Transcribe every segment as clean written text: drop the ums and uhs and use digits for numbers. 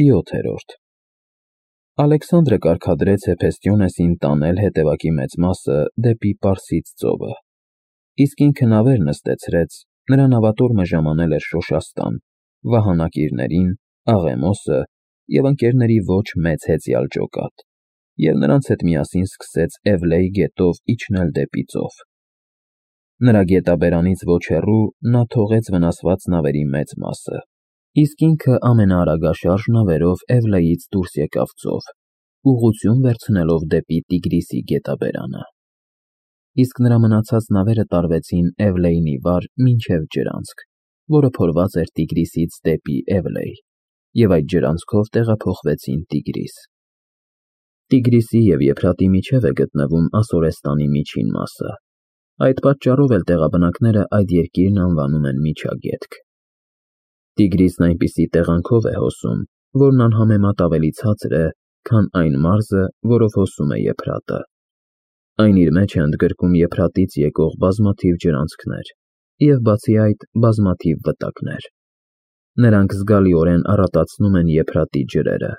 7-րդ Ալեքսանդրը կարգադրեց Հեփեստիոնեսին տանել հետևակի մեծ մասը դեպի Պարսից ծովը, իսկ ինքը նավեր նստեցրեց, նրա նավատորմը ժամանել էր Շոշաստան, վահանակիրներին, Աղեմոսը և ընկերների ոչ մեծ հեծյալ ջոկատ, և նրանց հետ միասին սկսեց Էվլեի գետով իջնել դեպի ծով։ Նրա գետաբերանից ոչ հեռու նա թողեց վնասված նավերի մեծ մասը, իսկ ինքը ամենաարագաշարժ նավերով Էվլեից դուրս եկավ ծով, ուղղություն վերցնելով դեպի Տիգրիսի գետաբերանը։ Իսկ նրա մնացած նավերը տարվեցին Էվլեյնի վար մինչև ջրանցք, որը փորված էր Տիգրիսից դեպի Էվլեյ, և այդ ջրանցքով տեղափոխվեցին Տիգրիս։ Տիգրիսի և Եփրատի միջև է գտնվում Ասորեստանի միջին մասը, այդ պատճառով էլ տեղաբնակները այդ երկիրն անվանում են Միջագետք։ Տիգրիսն այնպիսի տեղանքով է հոսում, որն անհամեմատ ավելի ցածր է, քան այն մարզը, որով հոսում է Եփրատը։ Այն իր մեջ է ընդգրկում Եփրատից եկող բազմաթիվ ջրանցքներ և, բացի այդ, բազմաթիվ վտակներ։ Նրանք զգալիորեն առատացնում են Եփրատի ջրերը,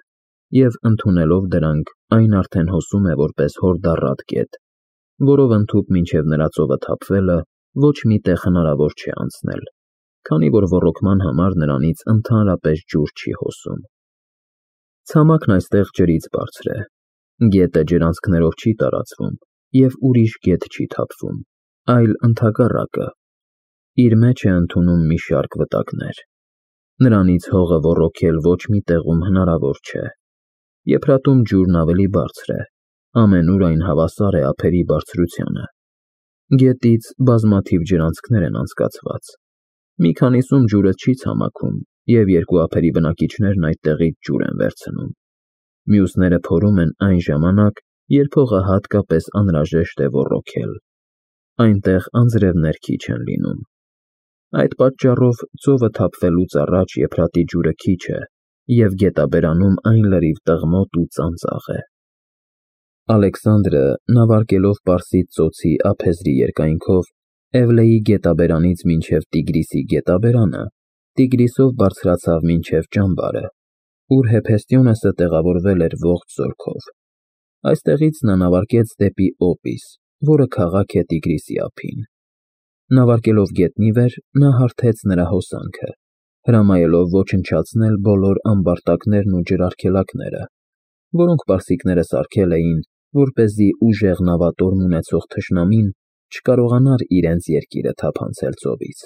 և, ընդունելով դրանք, այն արդեն հոսում է որպես հորդառատ գետ, որով ընդհուպ մինչև նրա ծովը թափվելը ոչ մի տեղ հնարավոր չէ անցնել, քանի որ ոռոգման համար նրանից ընդհանրապես ջուր չի հոսում։ Ցամաքն այստեղ ջրից բարձր է, գետը ջրանցքներով չի տարածվում և ուրիշ գետ չի թափվում, այլ ընդհակառակը, իր մեջ է ընդունում մի շարք վտակներ։ Նրանից հողը ոռոգել ոչ մի տեղում հնարավոր չէ։ Եփրատում ջուրն ավելի բարձր է, ամենուր այն հավասար է ափերի բարձրությանը։ Գետից բազմաթիվ ջրանցքներ են անցկացված։ Մի քանիսում ջուրը չի ցամաքում, և երկու ափերի բնակիչներն այդտեղից ջուր են վերցնում։ Մյուսները փորում են այն ժամանակ, երբ հողը հատկապես անհրաժեշտ է ոռոգել։ Այնտեղ անձրևներ քիչ են լինում։ Այդ պատճառով ծովը թափվելուց առաջ Եփրատի ջուրը քիչ է, և գետաբերանում այն լրիվ տղմոտ ու ծանծաղ է։ Ալեքսանդրը, նավարկելով Պարսից ծոցի ափեզրի երկայնքով Էվլեի գետաբերանից մինչև Տիգրիսի գետաբերանը, Տիգրիսով բարձրացավ մինչև ճամբարը, ուր Հեփեստիոնեսը տեղավորվել էր ողջ զորքով։ Այստեղից նա նավարկեց դեպի Օպիս, որը քաղաք է Տիգրիսի ափին։ Նավարկելով գետնի վեր, նա հարթեց նրա հոսանքը, հրամայելով ոչնչացնել բոլոր ամբարտակներն ու ջրարգելակները, որոնք պարսիկները սարքել էին, որպեսզի ուժեղ նավատորմ ունեցող թշնամին չկարողանար իրենց երկիրը թափանցել ծովից։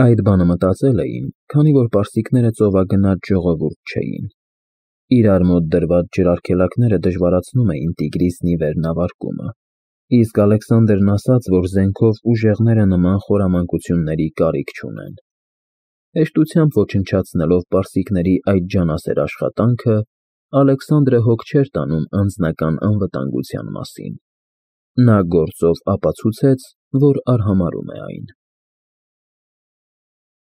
Այդ բանը մտածել էին, քանի որ պարսիկները ծովագնաց ժողովուրդ չէին։ Իրար մոտ դրված ջրարգելակները դժվարացնում էին Տիգրիսն ի վեր նավարկումը, իսկ Ալեքսանդրն ասաց, որ զենքով ուժեղները նման խորամանկությունների կարիք չունեն։ Հեշտությամբ ոչնչացնելով պարսիկների այդ ջանասեր աշխատանքը, Ալեքսանդրը հոգ չէր տանում անձնական անվտանգության մասին։ Նա գործով ապացուցեց, որ արհամարհում է այն։